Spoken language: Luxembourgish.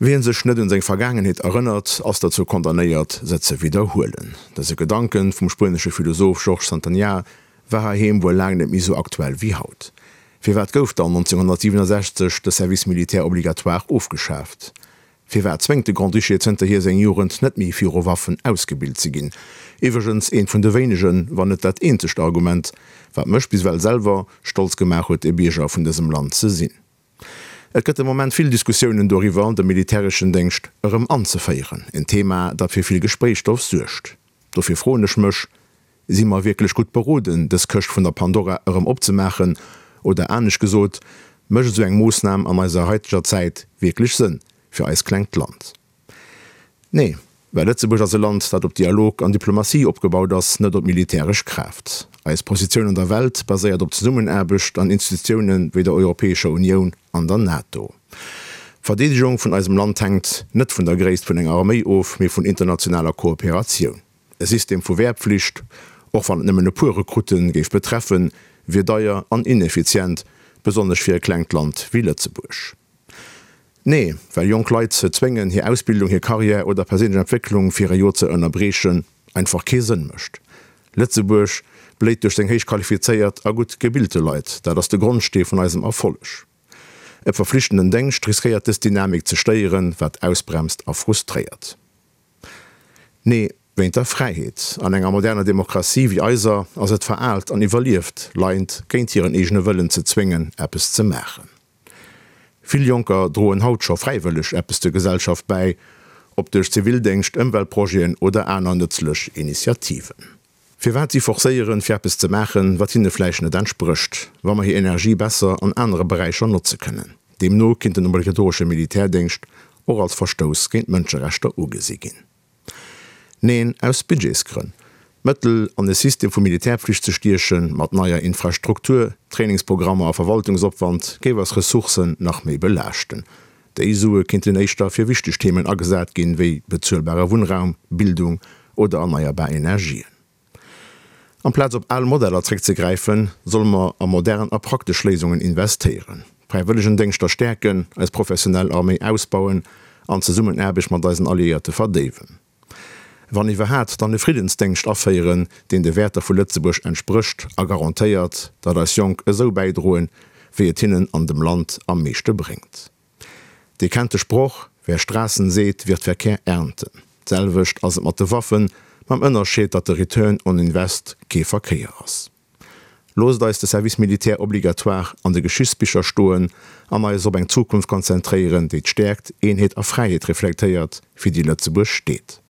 Wien sech net un seng Vergaangenheet erënnert, ass derzou condamnéiert, se ze widderhuelen. Dëse Gedanken vum spuenesche Philosoph Georges Santayana war heiheem wuel laang net méi sou aktuell wéi haut. Firwat gouf dann 1967 de Service militaire obligatoire ofgeschaaft? Firwat zwéngt de Grand-Duché zënterhier seng Jugend net méi viru Waffen ausgebilt ze ginn? Iwwregens eent vun de wéinegen, wann net dat eenzegt Argument, wat mech bis ewell selwer stolz gemaach huet, e Bierger vun dësem Land ze sinn. Et gëtt de Moment vill Diskussiounen doriwwer, de militäreschen Déngscht erëm anzeféieren. En Thema, dat fir vill Gespréichsstoff suergt. Dofir froen ech mech, Si mer wierklech gutt beroden, dës Këscht vun der Pandora erëm opzemaachen? Oder anescht gesot, mécht esou eng Moossnam an eiser haiteger Zäit wierklech Sënn fir eist klengt Land? Nee, well Lëtzebuerg ass e Land, dat op Dialog an Diplomatie opgebaut ass, net op militäresch Kraaft. Eis Positioun an der Welt baséiert op Zesummenaarbecht an Institutioune wéi der Europäescher Unioun an der NATO. D'Verdeedegung vun eisem Land hänkt net vun der Gréisst vun enger Arméi of, mee vun internationaler Kooperatioun. E System vu Wehrpflicht, och wann et nëmmen e puer Rekrutte géif betreffen, wier deier an ineffizient, besonnesch fir e klengt Land wéi Lëtzebuerg. Nee, well jonk Leit ze zwéngen, hir Ausbildung, hir Karriär oder perséinlech Entwécklung fir e Joer ze ënnerbriechen, einfach kee Sënn mécht. Lëtzebuerg bléit duerch seng héich qualifizéiert a gutt gebilte Leit. Dat ass de Grondstee vun eisem Erfolleg. E verflichtenden Déngscht riskéiert dës Dynamik ze stéieren, wat ausbremst a frustréiert. Nee, wéint der Fräiheet. An enger moderner Demokratie wéi eiser ass et veraalt an iwwerlieft, Leit géint hiren eegene Wëllen ze zwéngen, eppes ze maachen. Vill Jonker droen haut scho fräiwëlleg eppes zur Gesellschaft bäi, ob duerch Zivildéngscht, Ëmweltprojeten oder aner nëtzlech Initiativen. Firwat si forcéieren, fir eppes ze maachen, wat hinne vläicht net entsprécht, wa mer hir Energie besser an anere Beräicher notze kënnen? Deemno kinnt den obligatoresche Militärdéngscht och als Verstouss géint d'Mënscherechter ugesi ginn. Neen, aus Budgetsgrënn. Mëttel an e System vu Militärpflicht ze stiechen, mat neier Infrastruktur, Trainingsprogrammer a Verwaltungsopwand, géif eis Ressourcen nach méi belaaschten. Déi Sue kinnten éischter fir wichteg Themen agesat ginn, wéi bezuelbare Wunnraum, Bildung oder erneierbar Energien. Amplaz op al Modeller zréckzegräifen, solle mer a modern a praktesch Léisungen investéieren, Fräiwëllegendéngschter stäerken, eis professionell Arméi ausbauen an d'Zesummenaarbecht mat eisen Alliéierte verdéiwen. Wann iwwerhaat, dann e Friddensdéngscht aféieren, deen de Wäerter vu Lëtzebuerg entsprécht a garantéiert, datt eis Jonk esou bäidroen, wéi et hinnen an dem Land am meeschte bréngt. Dir kennt de Sproch, Wer Straßen sät, wird Verkehr ernten. D'selwecht ass et mat de Waffen, mam Ënnerscheed, datt de Return on Invest kee Verkéier ass. Loosst eis de Service militaire obligatoire an de Geschichtsbicher stoen an eis op eng Zukunft konzentréieren, déi d'Stäerkt, Eenheet a Fräiheet reflektéiert, fir déi Lëtzebuerg steet.